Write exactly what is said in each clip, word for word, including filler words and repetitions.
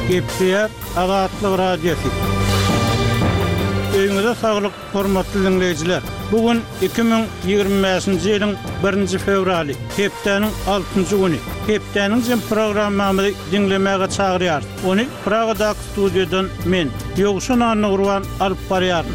Gepleýär Azatlyk Radiosy. Öýüňize saglyk, hormatly diňleýjiler. Bu gün iki müň ýigrimi bäşinji ýylyň birinji fewraly, hepdäniň altynjy güni. Hepdäniň jem programmamyzy diňlemäge çagyrýarys. Ony Pragadaky studiýadan men, Ýowşan Annagurban alyp barýaryn.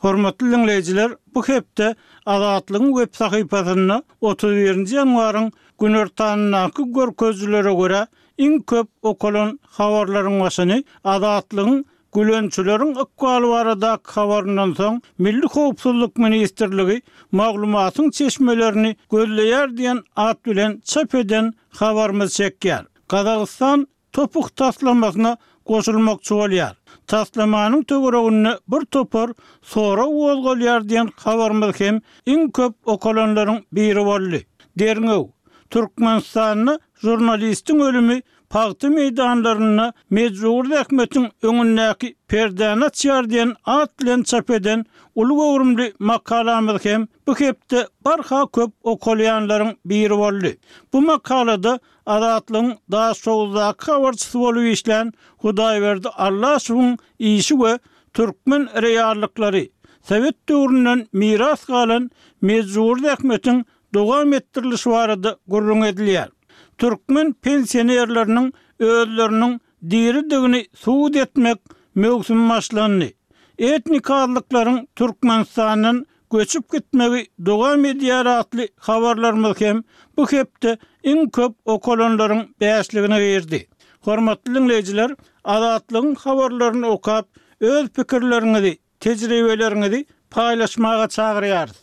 Hormatly diňleýjiler, bu hepde Azatlygyň web sahypasynda otuz birinji ýanwaryň günortanyndaky görkezijilere görä iň köp okalan habarlaryň başyny Azatlygyň Gülençileriň ykbaly baradaky habaryndan soň Milli howpsuzlyk ministrligi maglumatyň çeşmelerini gözleýär diýen at bilen çap eden habarymyz çekýär. Gazagystan Topuk taslamasyna goşulmakçy bolýar. Taslamanyň töwereginde bir topar sorag gozgalýar diýen habarymyz hem iň köp okalanlaryň biri boldy. Derňew, Türkmenistanda žurnalistiň ölümi pagta meýdanlarynda mejbury zähmetiň öňündäki perdäni açýar diýen at bilen çap eden uly göwrümli makalamyz hem bu hepde barha köp okalýanlaryň biri boldy. Bu makalada Azatlygyň Daşoguzdaky habarçysy bolup işlän Hudaýberdi Allaşowyň işi we türkmen reallyklary, sowet döwründen miras galan mejbury zähmetiň dowam etdirilişi barada gürrüň edilýär. Türkmen pensionerleriniň özleriniň diridigini subut etmek möwsümi başlandy. Etnik azlyklaryň Türkmenistandan göçüp gitmegi dowam edýär atly habarlarymyz hem bu hepde iň köp okalanlaryň bäşligine girdi. Hormatly diňleýjiler, Azatlygyň habarlaryny okap, öz pikirleriňizi, tejribeleriňizi paýlaşmaga çagyrýarys.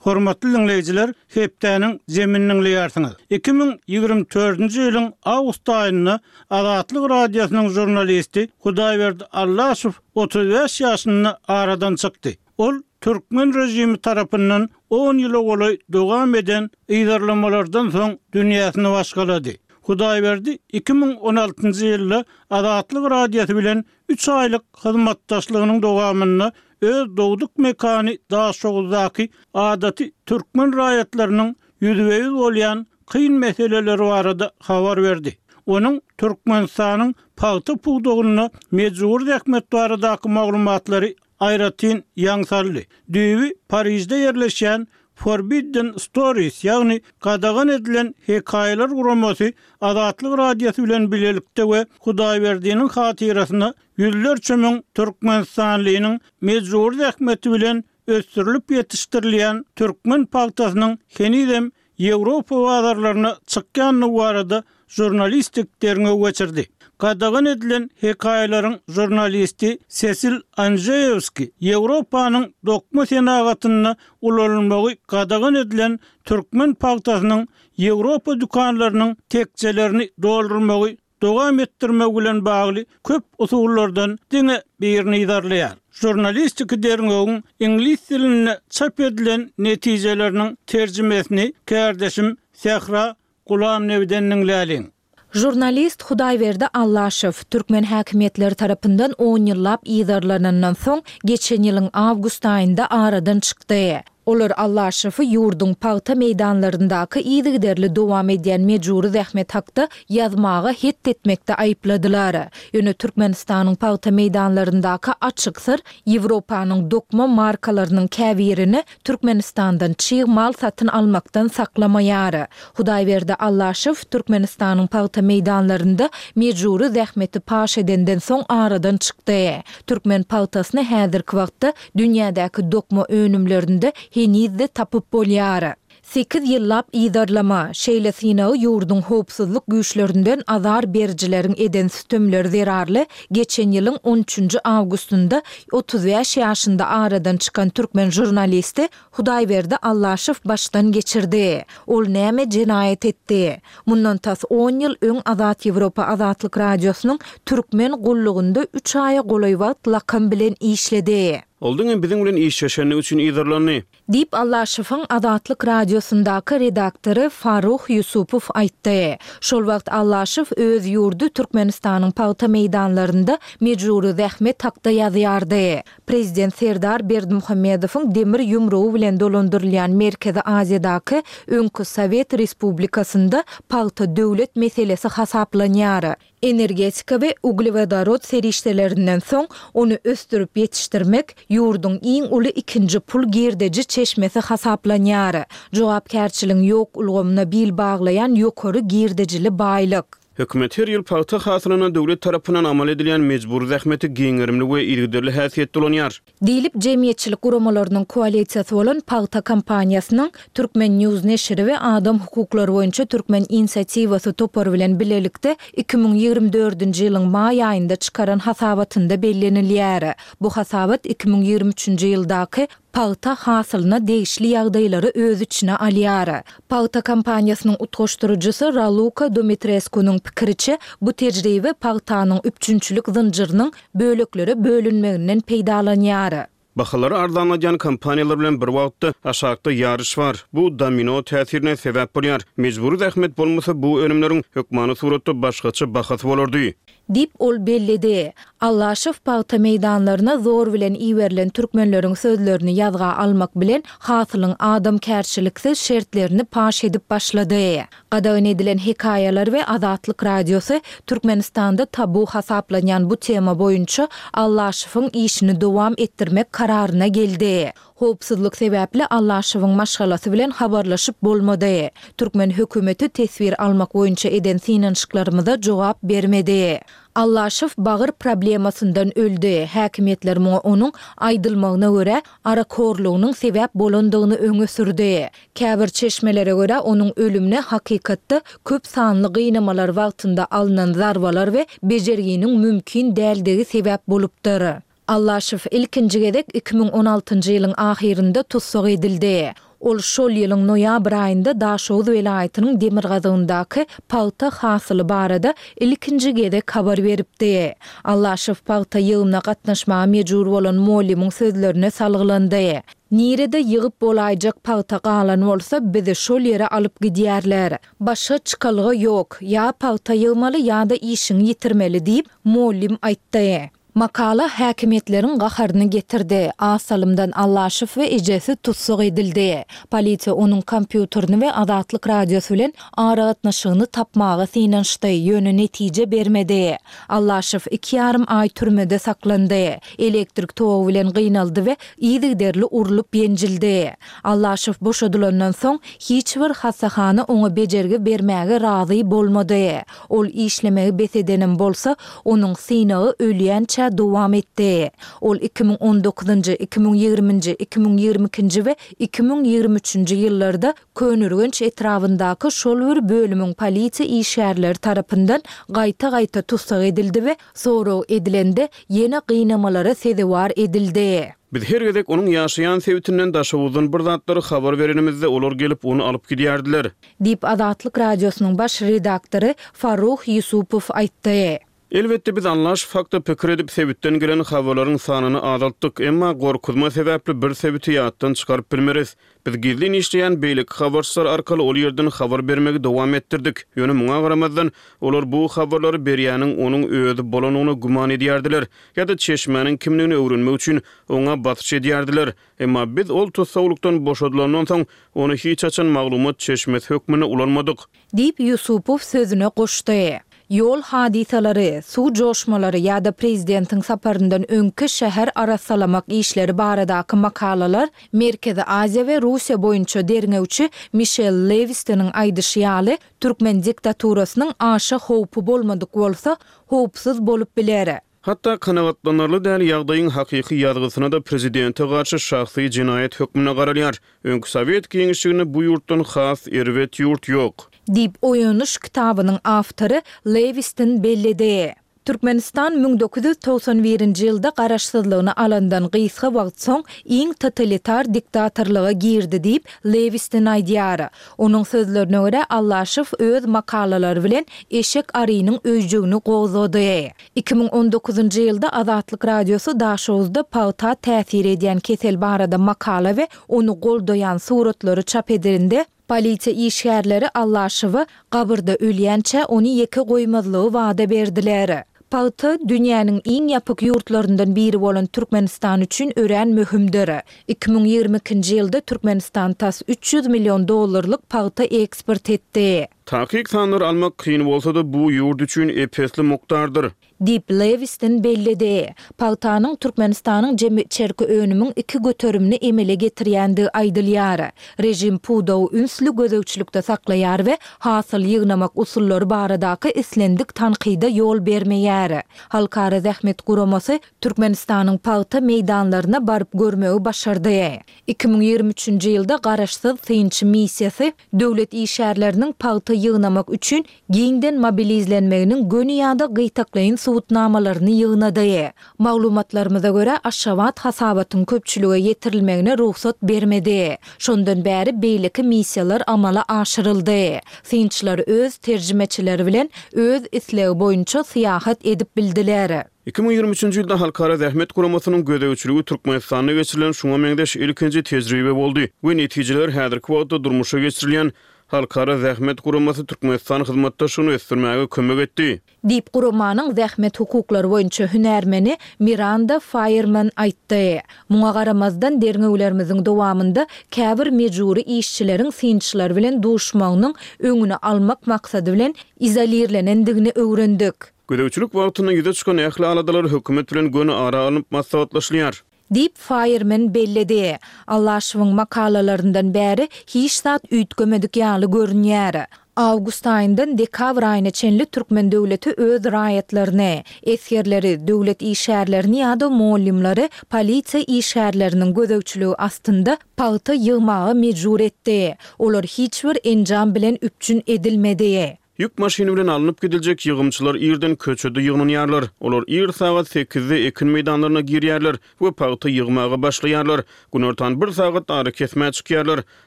Hormatly diňleýjiler, hepdäniň zemini diňleýärsiňiz. Iki müň ýigrimi dördünji ýylyň awgust aýynda Azatlyk Radiosynyň žurnalisti Hudaýberdi Allaşow otuz bäş ýaşynda aradan çykdy. Ol türkmen režimi tarapyndan on ýyla golaý dowam eden yzarlamalardan soň dünýäsini başgalady. Hudaýberdi iki müň on altynjy ýylda Azatlyk Radiosy bilen üç aýlyk hyzmatdaşlygynyň dowamynda öz dogduk mekany Daşoguzdaky adaty türkmen raýatlarynyň ýüzbe-ýüz bolýan kyn meseleleri barada habar berdi. Onuň Türkmenistanyň pagta pudagynda mejbury zähmet baradaky maglumatlary aýratyn ýaň saldy. Düýbi Parižde ýerleşýän Forbidden Stories, ýagny Gadagan edilen hekaýalar guramasy Azatlyk Radiosy bilen bilelikde we Hudaýberdiniň hatyrasyna ýüzlerçe müň türkmenistanlynyň mejbury zähmeti bilen ösdürilip ýetişdirilýän türkmen pagtasynyň henizem Ýewropa bazarlaryna çykýandygy barada žurnalistik derňew geçirdi. Gadagan edilen hekaýalaryň žurnalisti Sesil Anžeýewski Ýewropanyň dokma senagatynda ulanylmagy gadagan edilen türkmen pagtasynyň Ýewropa dükanlarynyň tekjelerini doldurmagy dowam etdirmek bilen bagly köp usullardan diňe birini yzarlaýar. Žurnalistiki derňewiň iňlis dilinde çap edilen netijeleriniň terjimesini kärdeşim Sähra Gulamnebiden diňläliň. Žurnalist Hudaýberdi Allaşow türkmen häkimiýetleri tarapyndan on ýyllap yzarlanandan soň, geçen ýylyň awgust aýynda aradan çykdy. Olar Allaşowy ýurduň pagta meýdanlaryndaky yzygiderli dowam edýän mejbury zähmet hakda ýazmaga het etmekde aýypladylar. Ýöne Türkmenistanyň pagta meýdanlaryndaky açyk syr Ýewropanyň dokma markalarynyň käbirini Türkmenistandan çig mal satyn almakdan saklamaýar. Hudaýberdi Allaşow Türkmenistanyň pagta meýdanlarynda mejbury zähmeti paş edenden soň aradan çykdy. Türkmen pagtasyny häzirki wagtda dünýädäki dokma önümlerinde heniz-de tapyp bolýar. Sekiz ýyllap yzarlama, şeýle synagy ýurduň howpsuzlyk güýçlerinden azar berijileriň eden sütemleri zerarly geçen ýylyň on üçünji awgustynda otuz bäş ýaşynda aradan çykan türkmen žurnalisti Hudaýberdi Allaşow başdan geçirdi. Ol näme jenaýat etdi? Mundan tas on ýyl öň Azat Ýewropa Azatlyk Radiosynyň Türkmen gullugynda üç aýa golaý wagt lakam bilen işledi. Ol diňe biziň bilen işleşendigi üçin yzarlandy. Diýip, Allaşowyň Azatlyk Radiosyndaky redaktory Farruh Ýusupow aýtdy. Şol wagt Allaşow öz ýurdy Türkmenistanyň pagta meýdanlarynda mejbury zähmet hakda ýazýardy. Prezident Serdar Berdimuhamedowyň demir ýumrugy bilen dolandyrylýan Merkezi Aziýadaky öňki sowet respublikasynda pagta döwlet meselesi hasaplanýar. Energetika we uglewodorod serişdelerinden soň, ony ösdürip ýetişdirmek ýurduň iň uly ikinji pul girdeji çeşmesi hasaplanýar. Jogapkärçiligiň ýok ulgamyna bil baglaýan ýokary girdejili baýlyk. Hökümet her ýyl pagta hasylyna döwlet tarapyndan amal edilýän mejbury zähmeti giň gerimli we yzygiderli häsiýetde ulanýar. Diýlip, jemgyýetçilik guramalarynyň koalisiýasy bolan Pagta kampaniýasynyň Turkmen. News neşiri we Adam hukuklary boýunça Türkmen inisiatiwasy topary bilen bilelikde iki müň ýigrimi dördünji ýylyň maý aýynda çykaran hasabatynda bellenilýär. Bu hasabat iki müň ýigrimi üçünji ýyldaky pagta hasylyna degişli ýagdaýlary öz içine alýar. Pagta kampaniýasynyň utgaşdyryjysy Raluka Dumitreskunyň pikiriçe, bu tejribe pagtanyň üpjünçilik zynjyrynyň böleklere bölünmeginden peýdalanýar. Bahalary arzanladýan kompaniýalar bilen bir wagtda aşakda ýaryş bar. Bu domino täsirine sebäp bolýar. Mejbury zähmet bolmasa, bu önümleriň hökmany suratda başgaça bahasy bolardy. Diýip, ol belledi. Allaşow pagta meýdanlaryna zor bilen iberilen türkmenleriň sözlerini ýazga almak bilen, hasylyň adamkärçiliksiz şertlerini paş edip başlady. Gadagan edilen hekaýalar we Azatlyk Radiosy Türkmenistanda tabu hasaplanýan bu tema boýunça Allaşowyň işini dowam etdirmek kararyna geldi. Howpsuzlyk sebäpli Allaşowyň maşgalasy bilen habarlaşyp bolmady. Türkmen hökümeti teswir almak boýunça eden synanyşyklarymyza jogap bermedi. Allaşow bagyr problemasyndan öldi, häkimiýetler muňa onuň, aýdylmagyna görä, arakhorlugynyň sebäp bolandygyny öňe sürdi. Käbir çeşmelere görä, onuň ölümine hakykatda köp sanly gynamalar wagtynda alnan zarbalar we bejerginiň mümkin däldigi sebäp bolupdyr. Allaşow ilkinji gezek iki müň on altynjy ýylyň ahyrynda tussag edildi. Ol şol ýylyň noýabr aýynda Daşoguz welaýatynyň demirgazygyndaky pagta hasyly barada ilkinji gezek habar beripdi. Allaşow pagta ýygymyna gatnaşmaga mejbur bolan mugallymyň sözlerine salgylandy. Nirede ýygyp bolaýjak pagta galan bolsa, bizi şol ýere alyp gidýärler. Başga çykalga ýok, ýa pagta ýygmaly ýa-da işiňi ýitirmeli diýip, mugallym aýtdy. Makala häkimiýetleriň gaharyny getirdi. Az salymdan Allaşow we ejesi tussag edildi. Polisiýa onuň kompýuterini we Azatlyk Radiosy bilen aragatnaşygyny tapmaga synanyşdy, ýöne netije bermedi. Allaşow iki ýarym aý türmede saklandy. Elektrik togy bilen gynaldy we yzygiderli urlup ýenjildi. Allaşow boşadylandan soň, hiç bir hassahana oňa bejergi bermäge razy bolmady. Ol işlemegi bes edenem bolsa, onuň synagy ölýänçä dowam etdi. Ol iki müň on dokuzynjy, iki müň ýigriminji, iki müň ýigrimi ikinji we iki müň ýigrimi üçünji ýyllarda Köneürgenç etrabyndaky şol bir bölümiň polisiýa işgärleri tarapyndan gaýta-gaýta tussag edildi we sorag edilende ýene gynamalara sezewar edildi. Biz her gezek onuň ýaşaýan sebitinden Daşoguzdan bir zatlary habar berenimizde, olar gelip, ony alyp gidýärdiler. Diýip, Azatlyk Radiosynyň baş redaktory Farruh Ýusupow aýtdy. Elbetde, biz Allaşow hakda pikir edip, sebitden gelen habarlaryň sanyny azaltdyk, emma gorkuzma sebäpli bir sebiti ýatdan çykaryp bilmeris. Biz gizlin işleýän beýleki habarçylar arkaly ol ýerden habar bermegi dowam etdirdik. Ýöne muňa garamazdan, olar bu habarlary berýäniň onuň özi bolandygyna güman edýärdiler ýa-da çeşmäniň kimdigini öwrenmek üçin oňa basyş edýärdiler. Emma biz ol tussaglykdan boşadylandan soň, ony hiç haçan maglumat çeşmesi hökmünde ulanmadyk. Diýip, Ýusupow sözüne goşdy. Ýol hadysalary, suw joşmalary ýa-da prezidentiň saparyndan öňki şäher arassalamak işleri baradaky makalalar Merkezi Aziýa we Russiýa boýunça derňewçi Mişel Lewistonyň aýdyşy ýaly, türkmen diktaturasynyň aşa howpy bolmadyk bolsa, howpsuz bolup biler. Hatda kanagatlanarly däl ýagdaýyň hakyky ýazgysyna-da prezidente garşy şahsy jenaýat hökmünde garalýar. Öňki sowet giňişliginde bu ýurtdan has erbet ýurt ýok. Diýip, Oýanyş kitabynyň awtory Lewiston belledi. Türkmenistan müň dokuz ýüz togsan birinji ýylda garaşsyzlygyny alandan gysga wagt soň iň totalitar diktatorlyga girdi diýip, Lewiston aýdýar. Onuň sözlerine görä, Allaşow öz makalalary bilen eşek arynyň öýjügini gozgady. Iki müň on dokuzynjy ýylda Azatlyk Radiosy Daşoguzda pagta täsir edýän kesel barada makala we ony goldaýan suratlary çap edilende, polisiýa işgärleri Allaşowa gabyrda ölýänçä ony ýeke goýmazlygy wada berdiler. Pagta, dünýäniň iň ýapyk ýurtlaryndan biri bolan Türkmenistan üçin örän möhümdir. Iki müň ýigrimi ikinji ýylda Türkmenistan tas üç ýüz million dollarlyk pagta eksport etdi. Takyk sanlary almak kyn bolsa-da, bu ýurt üçin ep-esli mukdardyr. Diýip, Lewiston belledi. Pagtanyň Türkmenistanyň jemi içerki önümiň iki göterimini emele getirýändigi aýdylýar. Režim pudagy ünsli gözegçilikde saklaýar we hasyl ýygnamak usullary baradaky islendik tankyda ýol bermeýär. Halkara zähmet guramasy Türkmenistanyň pagta meýdanlaryna baryp görmegi başardy. Iki müň ýigrimi üçünji ýylda garaşsyz synçy missiýasy döwlet işgärleriniň pagta ýygnamak üçin giňden mobilizlenmeginiň göni ýa-da gytaklaýyn subutnamalaryny ýygnady. Maglumatlarymyza görä, Aşgabat hasabatyň köpçülige ýetirilmegine rugsat bermedi. Şondan bäri beýleki missiýalar amala aşyryldy. Synçylar öz terjimeçileri bilen öz islegi boýunça syýahat edip bildiler. Iki müň ýigrimi üçünji ýylda Halkara zähmet guramasynyň gözegçiligi Türkmenistanda geçirilen şuňa meňzeş ilkinji tejribe boldy we netijeler häzirki wagtda durmuşa geçirilýän Halkara zähmet guramasy Türkmenistan hyzmatdaşlygyny ösdürmäge kömek etdi. Diýip, guramanyň zähmet hukuklary boýunça hünärmeni Miranda Faýerman aýtdy. Muňa garamazdan, derňewlerimiziň dowamynda käbir mejbury işçileriň synçylar bilen duşmagynyň öňüni almak maksady bilen izolirlenendigini öwrendik. Gözegçilik wagtynda ýüze çykan ähli aladalar hökümet bilen göni ara alnyp maslahatlaşylýar. Diýip, Faýerman belledi. Allaşowyň makalalaryndan bäri hiç zat üýtgemedik ýaly görünýär. Awgust aýyndan dekabr aýyna çenli türkmen döwleti öz raýatlaryny, esgerleri, döwlet işgärlerini ýa-da mugallymlary polisiýa işgärleriniň gözegçiligi astynda pagta ýygmaga mejbur etdi. Olar hiç bir enjam bilen üpjün edilmedi. Ýük maşyny bilen alnyp gidiljek ýygymçylar irden köçede ýygnanýarlar. Olar ir sagat sekizde ekin meýdanlaryna girýärler we pagta ýygmaga başlaýarlar. Günortan bir sagat arakesmä çykýarlar.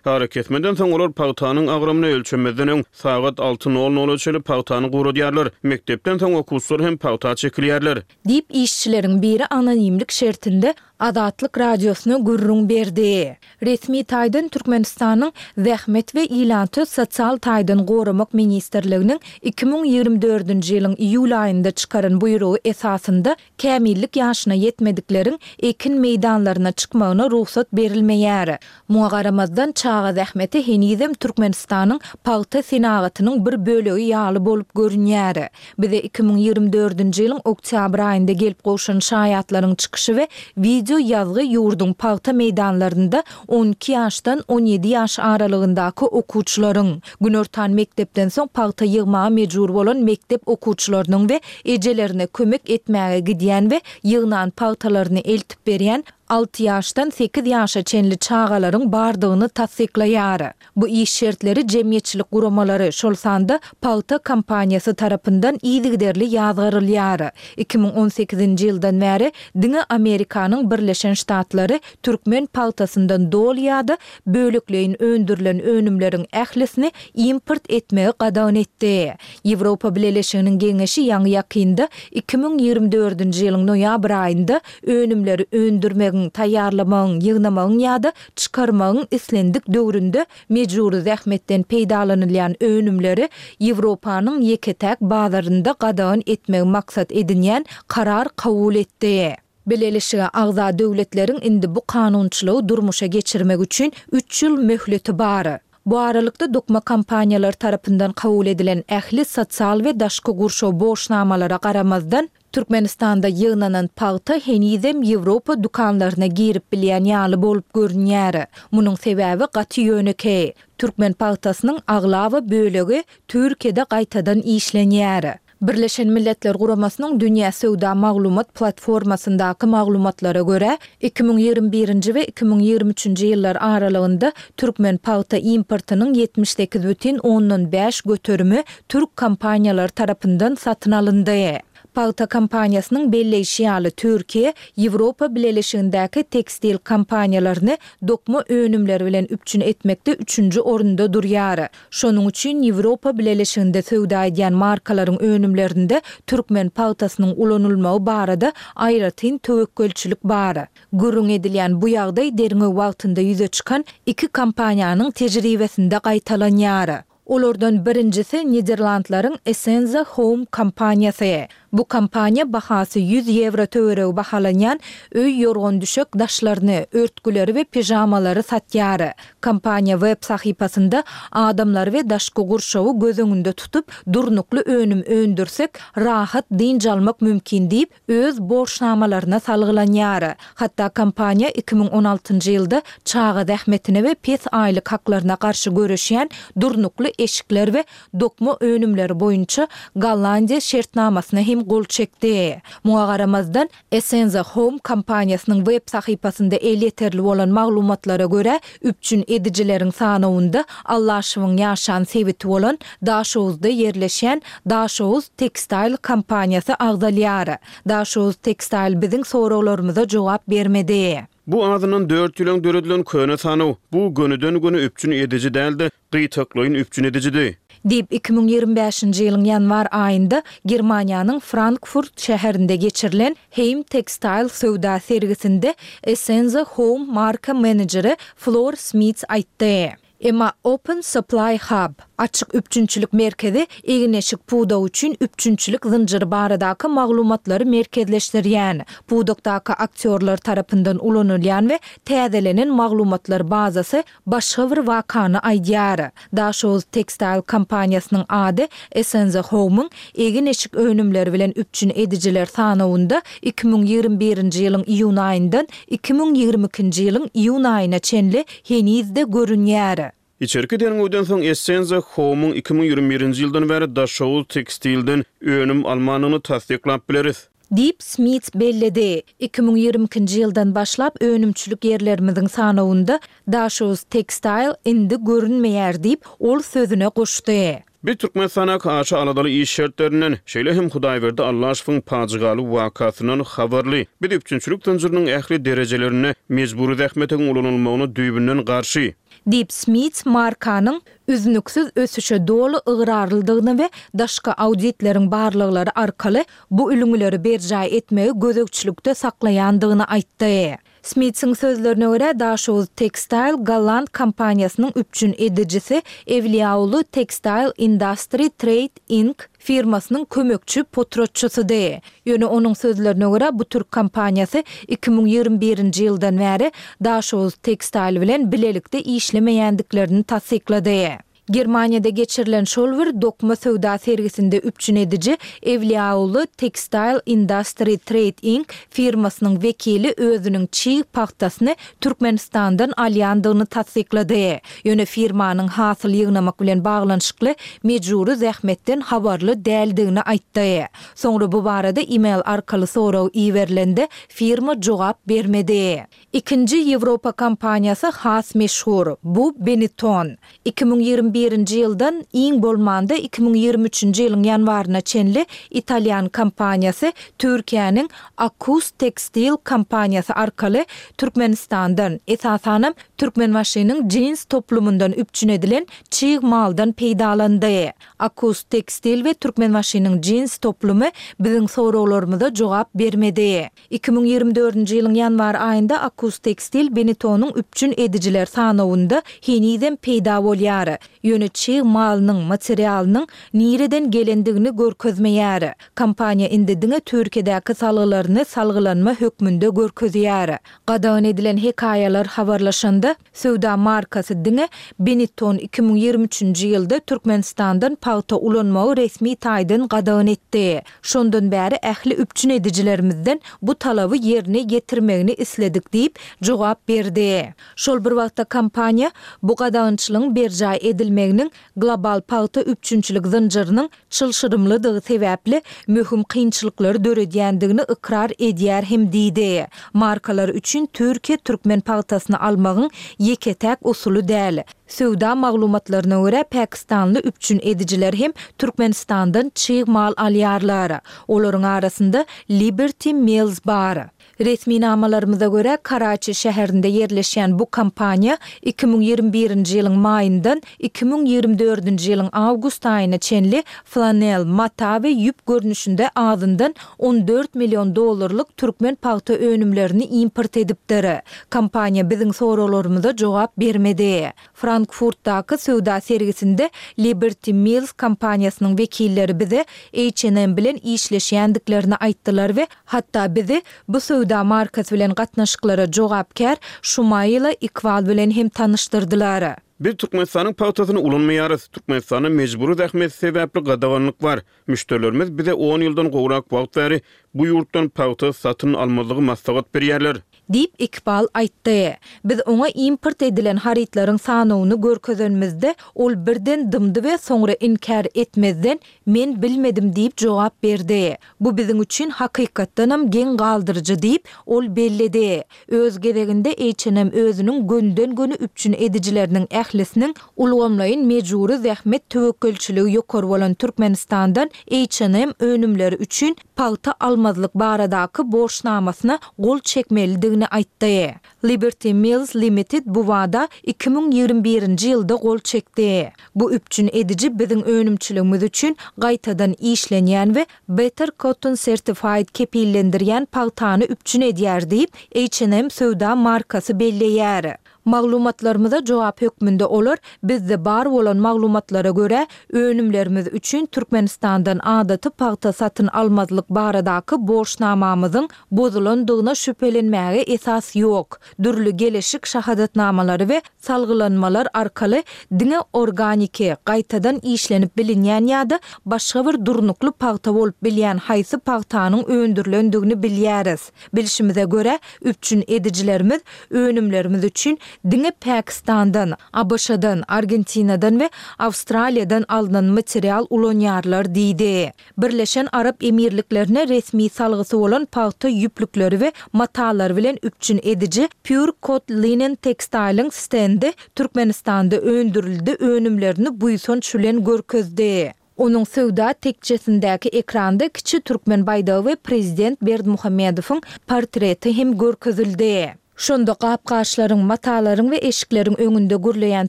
Arakesmeden soň olar pagtanyň agramyny ölçemezden öň sagat alty nol nola çenli pagtany guradýarlar. Mekdepden soň okuwçylar hem pagta çekilýärler. Diýip, işçileriň biri anonimlik şertinde Azatlyk Radiosyna gürrüň berdi. Resmi taýdan Türkmenistanyň Zähmet we ilaty sosial taýdan goramak ministrliginiň iki müň ýigrimi dördünji ýylyň iýul aýynda çykaran buýrugy esasynda kämillik ýaşyna ýetmedikleriň ekin meýdanlaryna çykmagyna rugsat berilmeýär. Muňa garamazdan, çaga zähmeti henizem Türkmenistanyň pagta senagatynyň bir bölegi ýaly bolup görünýär. Bize iki müň ýigrimi dördünji ýylyň oktýabr aýynda gelip gowşan şaýatlaryň çykyşy we wideo ýazgy ýurduň pagta meýdanlarynda on iki ýaşdan on ýedi ýaş aralygyndaky okuwçylaryň, günortan mekdepden soň pagta ýygmaga mejbur bolan mekdep okuwçylarynyň we ejelerine kömek etmäge gidýän we ýygnan pagtalaryny eltip berýän alty ýaşdan sekiz ýaşa çenli çagalaryň bardygyny tassyklaýar. Bu iş şertleri jemgyýetçilik guramalary, şol sanda pagta kompaniýasy tarapyndan yzygiderli ýazgarylýar. Iki müň on sekizinji ýyldan bäri diňe Amerikanyň Birleşen Ştatlary türkmen pagtasyndan doly ýa-da bölekleýin öndürilen önümleriň ählisini import etmegi gadagan etdi. Ýewropa Bileleşiginiň Geňeşi ýaňy-ýakynda iki müň ýigrimi dördünji ýylyň noýabr aýynda önümleri öndürmegiň, taýýarlamagyň, ýygnamagyň ýa-da çykarmagyň islendik döwründe mejbury zähmetden peýdalanylýan önümleri Ýewropanyň ýeke-täk bazarynda gadagan etmegi maksat edinýän karar kabul etdi. Bileleşige agza döwletleriň indi bu kanunçylygy durmuşa geçirmek üçin üç ýyl möhleti bar. Bu aralykda dokma kompaniýalary tarapyndan kabul edilen ähli sosial we daşky gurşaw borçnamalara garamazdan, Türkmenistanda ýygnanan pagta henizem Ýewropa dükanlaryna girip bilýän ýaly bolup görünýär. Munuň sebäbi gaty ýönekeý. Türkmen pagtasynyň aglaba bölegi Türkiýede gaýtadan işlenýär. Birleşen Milletler Guramasynyň Dünýä söwda maglumat platformasyndaky maglumatlara görä, iki müň ýigrimi birinji we iki müň ýigrimi üçünji ýyllar aralygynda türkmen pagta importynyň ýetmiş sekiz bütin ondan bäş göterimi türk kompaniýalary tarapyndan satyn alyndy. Pagta kompaniýasynyň belleýşi ýaly, Türkiýe Ýewropa Bileleşigindäki tekstil kompaniýalaryny dokma önümleri bilen üpjün etmekde üçünji orunda durýar. Şonuň üçin Ýewropa Bileleşiginde söwda edýän markalaryň önümlerinde türkmen pagtasynyň ulanylmagy barada aýratyn töwekgelçilik bar. Gürrüň edilýän bu ýagdaý derňew wagtynda ýüze çykan iki kompaniýanyň tejribesinde gaýtalanýar. Olardan birinjisi Niderlandlaryň Essenza Home kompaniýasy. Bu kompaniýa bahasy ýüz ýewro töweregi bahalanýan öý ýorgan-düşek daşlaryny, örtgüleri we pižamalary satýar. Kompaniýa web sahypasynda adamlary we daşky gurşawy göz öňünde tutup, durnukly önüm öndürsek, rahat dynç almak mümkin diýip, öz borçnamalaryna salgylanýar. Hatda kompaniýa iki müň on altynjy ýylda çaga zähmetine we pes aýlyk haklaryna garşy göreşýän durnukly eşikler we dokma önümleri boýunça Gollandiýa şertnamasyna hem gol çekdi. Muňa garamazdan, Essenza Home kompaniýasynyň web sahypasynda elýeterli bolan maglumatlara görä, üpjün edijileriň sanawynda Allaşowyň ýaşan sebiti bolan Daşoguzda ýerleşýän Daşoguz Textile kompaniýasy agzalýar. Daşoguz Textile biziň soraglarymyza jogap bermedi. Bu azyndan dört ýyl öň döredilen köne sanaw, bu gönüden-göni üpjün ediji däl-de, gytaklaýyn üpjün edijidi. Diýip, iki müň ýigrimi bäşinji ýylyň ýanwar aýynda Germaniýanyň Frankfurt şäherinde geçirilen Heim Textile söwda sergisinde Essenza Home marka menejeri Flor Smits aýtdy. Emma Open Supply Hub, Açyk üpjünçilik merkezi, egin-eşik pudagy üçin üpjünçilik zynjyry baradaky maglumatlary merkezleşdirýän, pudakdaky aktýorlar tarapyndan ulanylýan we täzelenen maglumatlar bazasy başga bir wakany aýdýar. Daşoguz Textile kompaniýasynyň ady Essenza Home-yň egin-eşik önümleri bilen üpjün edijiler sanawynda iki müň ýigrimi birinji ýylyň iýun aýyndan iki müň ýigrimi ikinji ýylyň iýun aýyna çenli heniz-de görünýär. Içerki derňewden soň Essenza Home-yň iki müň ýigrimi birinji ýyldan bäri Daşoguz Tekstilden önüm almandygyny tassyklap bileris. Diýip, Smits belledi. Iki müň ýigrimi ikinji ýyldan başlap önümçilik ýerlerimiziň sanawynda Daşoguz Textile indi görünmeýär diýip, ol sözüne goşdy. Biz Türkmenistandaky aşa aladaly iş şertlerinden, şeýle hem Hudaýberdi Allaşowyň pajygaly wakasyndan habarly. Biz üpjünçilik zynjyrynyň ähli derejelerinde mejbury zähmetiň ulanylmagyna düýbünden garşy. Diýip, Smits markanyň üznüksiz ösüşe doly ygrarlydygyny we daşky auditleriň barlaglary arkaly bu ülňüleri berjaý etmegi gözegçilikde saklaýandygyny aýtdy. Smitsiň sözlerine görä, Daşoguz Textile golland kompaniýasynyň üpjün edijisi Ewliýaulu Textile Industry Trade Inc. Firmasynyň kömekçi potratçysydy. Ýöne onuň sözlerine görä, bu türk kompaniýasy iki müň ýigrimi birinji ýyldan bäri Daşoguz Textile bilen bilelikde işlemeýändiklerini tassyklady. Germaniýada geçirilen şol bir dokma söwda sergisinde üpjün ediji Ewliýaulu Textile Industry Trade Inc. Firmasynyň wekili özüniň çig pagtasyny Türkmenistandan alýandygyny tassyklady. Ýöne firmanyň hasyl ýygnamak bilen baglanyşykly mejbury zähmetden habarly däldigini aýtdy. Soňra bu barada e-mail arkaly sorag iberilende firma jogap bermedi. Ikinji Ýewropa kompaniýasy has meşhur, bu Benetton. Iki müň ýigrimi birinji ýyldan iň bolmanda iki müň ýigrimi üçünji ýylyň ýanwaryna çenli italýan kompaniýasy Türkiýäniň Akkus Tekstil kompaniýasy arkaly Türkmenistandan, esasanam Türkmenbaşynyň jins toplumyndan üpjün edilen çig maldan peýdalandy. Akkus Tekstil we Türkmenbaşynyň jins toplumy biziň soraglarymyza jogap bermedi. Iki müň ýigrimi dördünji ýylyň ýanwar aýynda Akkus Tekstil Benetonyň üpjün edijiler sanawynda henizem peýda bolýar. Ýöne çig malynyň, materialynyň nireden gelendigini görkezmeýär. Kompaniýa indi diňe Türkiýedäki salgylaryny salgylanma hökmünde görkezýär. Gadagan edilen hekaýalar habarlaşanda, söwda markasy diňe Benetton iki müň ýigrimi üçünji ýylda Türkmenistandan pagta ulanmagy resmi taýdan gadagan etdi. Şondan bäri ähli üpjün edijilerimizden bu talaby ýerine ýetirmegini isledik diýip, jogap berdi. Şol bir wagtda kompaniýa bu gadagançylygyň berjaý edilmegini edilmeginiň global pagta üpjünçilik zynjyrynyň çylşyrymlydygy sebäpli möhüm kynçylyklary döredýändigini ykrar edýär hem diýdi. Markalar üçin Türkiýe türkmen pagtasyny almagyň ýeke-täk usuly däl. Söwda maglumatlaryna görä, pakistanly üpjün edijiler hem Türkmenistandan çig mal alýarlar. Olaryň arasynda Liberty Mills bar. Resminamalarymyza görä, Karaçi şäherinde ýerleşýän bu kompaniýa iki müň ýigrimi birinji ýylyň maýyndan iki müň ýigrimi dördünji ýylyň awgust aýyna çenli flanel, mata we ýüp görnüşinde azyndan on dört million dollarlyk türkmen pagta önümlerini import edipdir. Kompaniýa biziň soraglarymyza jogap bermedi. Frankfurtdaky söwda sergisinde Liberty Mills kompaniýasynyň wekilleri bize H and M bilen işleşýändiklerini aýtdylar we hatda bizi bu söwda markasy bilen gatnaşyklara jogapkär Şumaýla Ikwal bilen hem tanyşdyrdylar. Biz Türkmenistanyň pagtasyny ulanmaýarys. Türkmenistanda mejbury zähmet sebäpli gadaganlyk bar. Müşderilerimiz bize on ýyldan gowrak wagt bäri bu ýurtdan pagta satyn almazlygy maslahat berýärler. Diýip, Iqbal aýtdy. Biz oňa import edilen harytlaryň sanawyny görkezenimizde, ol birden dymdy we soňra inkär etmezden, Men bilmedim diýip jogap berdi. Bu biziň üçin hakykatdanam geň galdyryjy diýip, ol belledi. Öz gezeginde H and M özüniň gönüden-göni üpjün edijileriniň ählisiniň ulgamlaýyn mejbury zähmet töwekgelçiligi ýokary bolan Türkmenistandan H and M önümleri üçin pagta almazlyk baradaky borçnamasyna gol çekmelidigini aýtdy. Liberty Mills Limited bu wada iki müň ýigrimi birinji ýylda gol çekdi. Bu üpjün ediji biziň önümçiligimiz üçin gaýtadan işlenýän we Better Cotton Certified kepillendirýän pagtany üpjün edýär diýip, H and M söwda markasy belleýär. Maglumatlarymyza jogap hökmünde olar bizde bar bolan maglumatlara görä, önümlerimiz üçin Türkmenistandan adaty pagta satyn almazlyk baradaky borçnamamyzyň bozulandygyna şübhelenmäge esas ýok. Dürli geleşik şahadatnamalary we salgylanmalar arkaly diňe organiki, gaýtadan işlenip bilinýän ýa-da başga bir durnukly pagta bolup bilýän haýsy pagtanyň öndürilendigini bilýäris. Bilşimize görä, üpjün edijilerimiz önümlerimiz üçin diňe Pakistandan, A B Ş-dan, Argentinadan we Awstraliýadan alnan material ulanýarlar diýdi. Birleşen Arap Emirliklerine resmi salgysy bolan pagta ýüplükleri we matalary bilen üpjün ediji Pure Cot Linen Textile-iň stendi Türkmenistanda öndürildi önümlerini buýsanç bilen görkezdi. Onuň söwda tekjesindäki ekranda kiçi türkmen baýdagy we prezident Berdimuhamedowyň portreti hem görkezildi. Şonda gap-gaçlaryň, matalaryň we eşikleriň öňünde gürleýän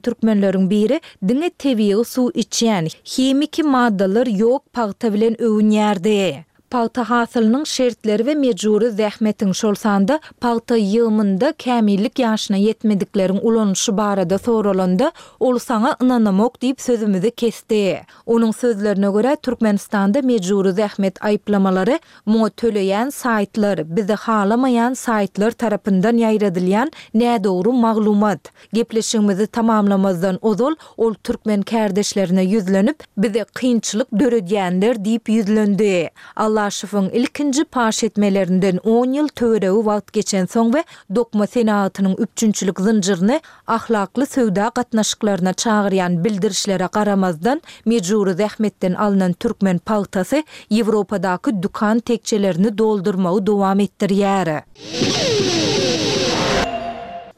türkmenleriň biri diňe tebigy suw içýän, himiki maddalar ýok pagta bilen öwünýärdi. Pagta hasylynyň şertleri we mejbury zähmetiň, şol sanda pagta ýygymynda kämillik ýaşyna ýetmedikleriň ulanyşy barada soralanda, ol saňa ynanamok diýip sözümizi kesdi. Onuň sözlerine görä, Türkmenistanda mejbury zähmet aýyplamalary muňa töleýän saýtlar, bizi halamaýan saýtlar tarapyndan ýaýradylýan nädogry maglumat. Gepleşigimizi tamamlamazdan ozal ol türkmen kärdeşlerine ýüzlenip, bize kynçylyk döredýänler diýip ýüzlendi. Allaşowyň ilkinji paş etmelerinden on ýyl töweregi wagt geçensoň we dokma senagatynyň üpjünçilik zynjyryny ahlakly söwda gatnaşyklaryna çagyrýan bildirişlere garamazdan, mejbury zähmetden alnan türkmen pagtasy Ýewropadaky dükan tekjelerini doldurmagy dowam etdirýär.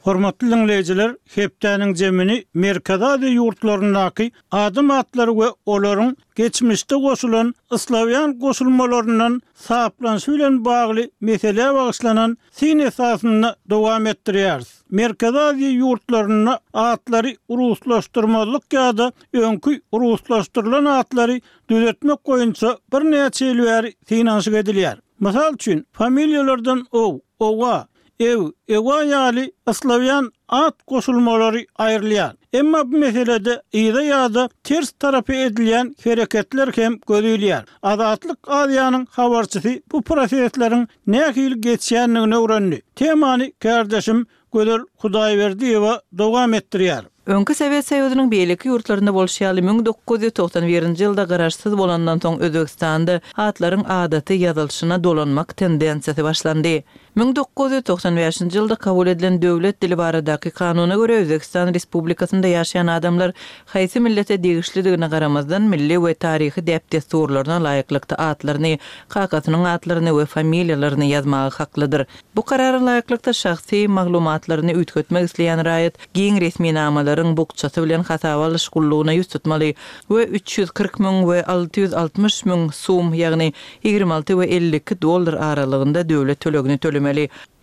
Hormatly dinleýjiler, hepdäniň zemini Merkezi Aziýa ýurtlaryndaky adam atlary we olaryň geçmişde goşulan Slawýan goşulmalaryndan saplanyşy bilen bagly mesele bagyşlanan sin esasynda dowam etdirýäris. Merkezi Aziýa ýurtlarynda atlary ruslaşdyrmazlyk ýa-da öňki ruslaşdyrylan atlary düzetmek boýunça birnäçe ýyl bäri synanyşyk edilýär. Mysal üçin, familiýalardan ow, owa, ew, ewa ýaly Slawýan at goşulmalary aýrylýar. Emma bu meselede yza ýa-da ters tarapy edilýän hereketler hem gözilýär. Azatlyk Aziýanyň habarçysy bu prosesleriň nähili geçýändigini öwrendi. Temany kärdeşim Gözel Hudaýberdiýewa dowam etdirýär. Öňki Sowet Soýuzynyň beýleki ýurtlarynda bolşy ýaly müň dokuz ýüz togsan birinji ýylda garaşsyz bolandan soň Özbegistanda atlaryň adaty ýazylyşyna dolanmak tendensiýasy başlandy. Müň dokuz ýüz togsan bäşinji ýylda kabul edilen Döwlet dili baradaky kanuna görä, Özbegistan Respublikasynda ýaşaýan adamlar haýsy millete degişlidigine garamazdan, milli we taryhy däp-dessurlaryna laýyklykda atlaryny, kakasynyň atlaryny we familiýalaryny ýazmaga haklydyr. Bu karara laýyklykda şahsy maglumatlaryny üýtgetmek isleýän raýat giň resminamalaryň bukjasy bilen hasaba alyş gullugyna ýüz tutmaly we üç ýüz kyrk müň we alty ýüz altmyş müň sum, ýagny ýigrimi alty we elli iki dollar aralygynda döwlet tölegini tölemeli.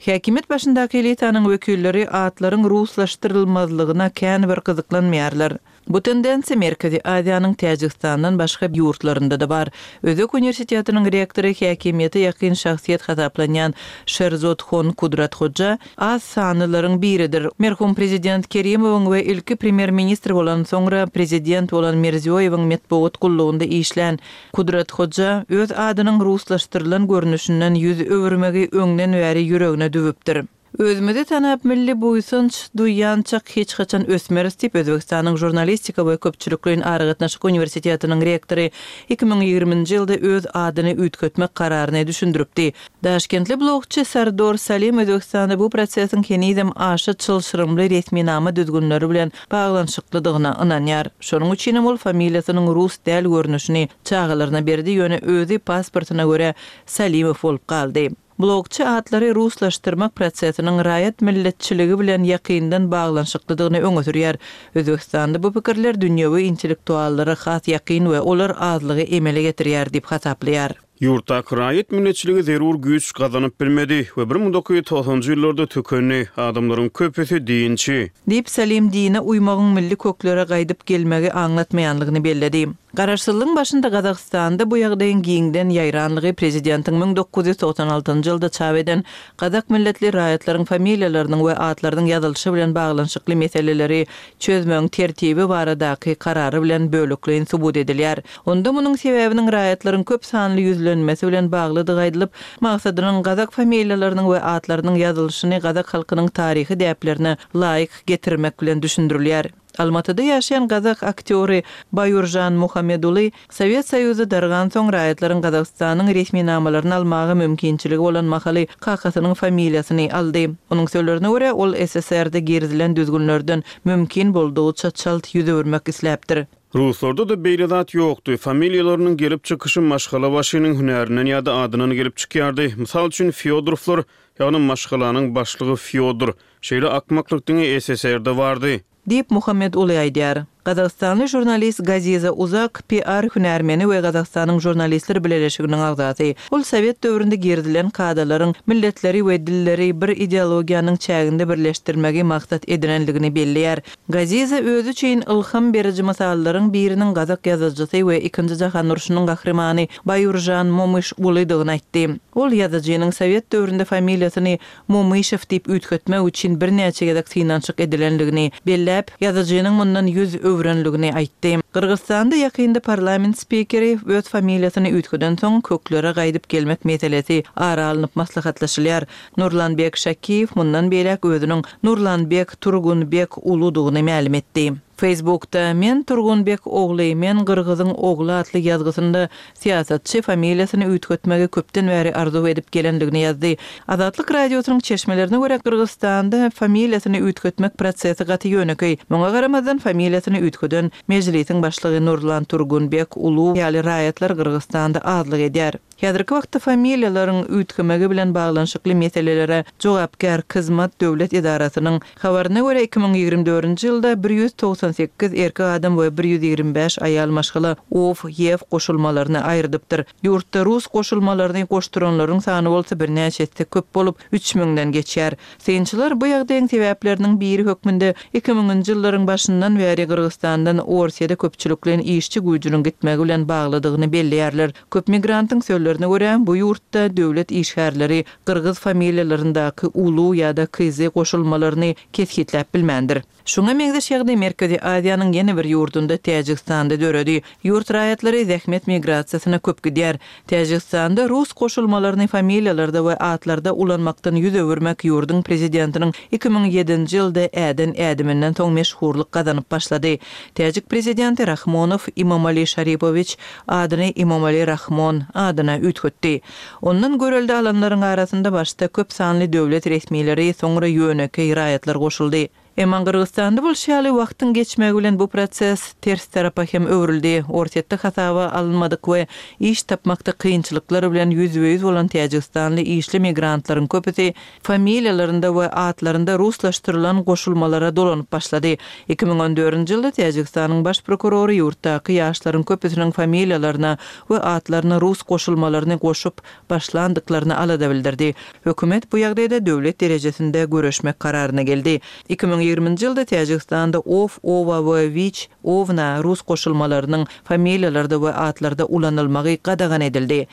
Häkimiýet başyndaky elitanyň wekilleri atlaryň ruslaşdyrylmazlygyna kän bir gyzyklanmaýarlar. Bu tendensiýa Merkezi Aziýanyň Täjigistandan başga ýurtlarynda-da bar. Özbek uniwersitetiniň rektory häkimiýete ýakyn şahsyýet hasaplanýan Şerzodhon Kudrathoja az sanlylaryň biridir. Merhum prezident Kerimowyň we ilki premýer-ministr bolan, soňra prezident bolan Mirziýoýewiň metbugat gullugynda işlän Kudrathoja öz adynyň ruslaşdyrylan görnüşinden ýüz öwürmegi öňden bäri ýüregine düwüpdir. Özümizi tanap, milli buýsanç duýýançak hiç haçan ösmeris diýip, Özbegistanyň Žurnalistika we köpçülikleýin aragatnaşyk uniwersitetiniň rektory iki müň ýigriminji ýylda öz adyny üýtgetmek kararyny düşündiripdi. Daşkentli blogçy Sardor Salim Özbegistanda bu prosesiň henizem aşa çylşyrymly resminama düzgünleri bilen baglanyşyklydygyna ynanýar. Şonuň üçinem ol familiýasynyň rus däl görnüşini çagalaryna berdi, ýöne özi pasportyna görä Salimow bolup galdy. Blogçy atlary ruslaşdyrmak prosesiniň raýat milletçiligi bilen ýakyndan baglanyşyklydygyny öňe sürýär. Özbegistanda bu pikirler dünýewi intellektuallara has ýakyn we olar azlygy emele getirýär diýip hasaplaýar. Ýurtdaky raýat milletçiligi zerur güýç gazanyp bilmedi we bir müň dokuz ýüz togsanjy ýyllarda tükendi. Adamlaryň köpüsi dinçi. Diýip, Salim dine uýmagyň milli köklere gaýdyp gelmegi aňlatmaýanlygyny belledi. Garaşsyzlygyň başynda Gazagystanda bu ýagdaýyň giňden ýaýranlygy prezidentiň müň dokuz ýüz togsan altynjy ýylda çap eden gazak milletli raýatlaryň familiýalarynyň we atlarynyň ýazylyşy bilen baglanyşykly meseleleri çözmegiň tertibi baradaky karary bilen bölekleýin subut edilýär. Onda munuň sebäbiniň raýatlaryň köp sanly ýüzlenmesi bilen baglydygy aýdylyp, maksadynyň gazak familiýalarynyň we atlarynyň ýazylyşyny gazak halkynyň taryhy däplerine laýyk getirmek bilen düşündirilýär. Almatyda ýaşaýan gazak aktýory Baýurjan Muhammeduly Sowet Soýuzy dargan soň raýatlaryň Gazagystanyň resminamalaryny almaga mümkinçiligi bolan mahaly kakasynyň familiýasyny aldy. Onuň sözlerine görä, ol S S R-de girizilen düzgünlerden mümkin boldugyça çalt ýüz öwürmek isläpdir. Ruslarda-da beýle zat ýokdy. Familiýalarynyň gelip çykyşy maşgala başynyň hünärinden ýa-da adyndan gelip çykýardy. Mysal üçin Fyodorowlar, ýagny maşgalanyň başlygy Fyodor. Şeýle akmaklyk diňe S S R-de bardy. Diýip Muhammed Uly aýdýar. Gazagystanly žurnalist Gaziza Uzak P R hünärmeni we Gazagystanyň žurnalistler bileleşiginiň agzasy. Ol Sowet döwründe girizilen kadalaryň milletleri we dilleri bir ideologiýanyň çäginde birleşdirmegi maksat edinenligini belleýär. Gaziza özi üçin ylham beriji mysallaryň biriniň gazak ýazyjysy we ikinji jahan urşunyň gahrymany Baýurjan Momyş Ulydygyny aýtdy. Ol ýazyjynyň Sowet döwründe familiýasyny Momyşew diýip üýtgetmek üçin birnäçe gezek synanyşyk edilenligini belläp, ýazyjynyň mundan ýüz öwrenligini aýtdy. Gyrgyzystanda ýakynda parlament spikeri öz familiýasyny üýtgeden soň köklere gaýdyp gelmek meselesi ara alnyp maslahatlaşylýar. Nurlanbek Şakiýew mundan beýläk özüniň Nurlanbek Turgunbek uludygyny mälim etdi. Facebookda men Turgunbek ogly, men Gyrgyzyň ogly atly ýazgysynda syýasatçy familiýasyny üýtgetmegi köpden bäri arzuw edip gelenligini ýazdy. Azatlyk radiosynyň çeşmelerine görä Gyrgyzystanda familiýasyny üýtgetmek prosesi gaty ýönekeý. Muňa garamazdan familiýasyny üýtgeden Mejlisiň başlygy Nurlan Turgunbek ulu ýaly raýatlar Gyrgyzystanda azlyk edýär. Häzirki wagtda familiýalaryň üýtgemegi bilen baglanyşykly meselelere jogapkär Kizmat döwlet edarasynyň habaryna görä iki müň ýigrimi dördünji ýylda bir ýüz togsan sekiz erkek adam we bir ýüz ýigrimi bäş aýal maşgala of, ýew goşulmalaryny aýrydypdyr. Ýurtda rus goşulmalaryny goşduranlaryň sany bolsa birnäçe esse köp bolup üç müňden geçýär. Synçylar bu ýagdaýyň sebäpleriniň biri hökmünde iki müňünji ýyllaryň başyndan bäri Gyrgyzystandan Orsiýada köpçülikleýin işçi güýjüniň gitmegi bilen baglydygyny belleýärler. Köp migrantyň sözlerine görä, bu ýurtda döwlet işgärleri gyrgyz familiýalaryndaky ulu ýa-da kyzy goşulmalaryny kesgitläp bilmändir. Şuňa meňzeş ýagdaý Merkezi Aziýanyň ýene bir ýurdunda Täjigistanda döredi. Ýurt raýatlary zähmet migrasiýasyna köp gidýär. Täjigistanda rus goşulmalaryny familiýalarda we atlarda ulanmakdan ýüz öwürmek ýurduň prezidentiniň iki müň ýedinji ýylda äden ädiminden soň meşhurlyk gazanyp başlady. Täjik prezidenti prezidenti Rahmonow Imomali Şaripowiç adyny Imomali Rahmon adyna üýtgetdi. Ondan görelde alanlaryň arasynda başda köp sanly döwlet resmileri, soňra ýönekeý raýatlar goşuldy. Emma Gyrgyzystanda bolşy ýaly, wagtyň geçmegi bilen bu proses ters tarapa hem öwrüldi. Orsýetde hasaba alynmadyk we iş tapmakda kynçylyklar bilen ýüzbe-ýüz bolan täjigistanly işli migrantlaryň köpüsi familiýalarynda we atlarynda ruslaşdyrylan goşulmalara dolanyp başlady. Iki müň on dördünji ýylda Täjigistanyň baş prokurory ýurtdaky ýaşlaryň köpüsiniň familiýalaryna we atlaryna rus goşulmalaryny goşup başlandyklaryna alada bildirdi. Hökümet bu ýagdaýda döwlet derejesinde göreşmek kararyna geldi. Iki müň ýigriminji ýylda Täjigistanda ow, owa we wiç, owna rus goşulmalarynyň familiýalarda we atlarda ulanylmagy gadagan edildi.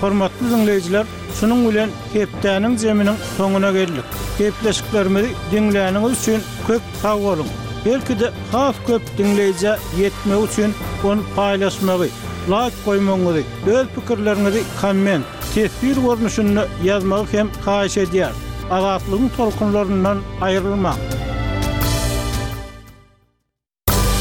Hormatly diňleýjiler, şunuň bilen hepdäniň zeminiň soňuna geldik. Gepleşiklerimizi diňläniňiz üçin köp sag boluň. Belki-de has köp diňleýjä ýetmegi üçin ony paýlaşmagy, laýk goýmagyňyzy, öz pikirleriňizi komment, teswir görnüşinde ýazmagy hem haýyş edýäris. Azatlygyň tolkunlaryndan aýrylmaň.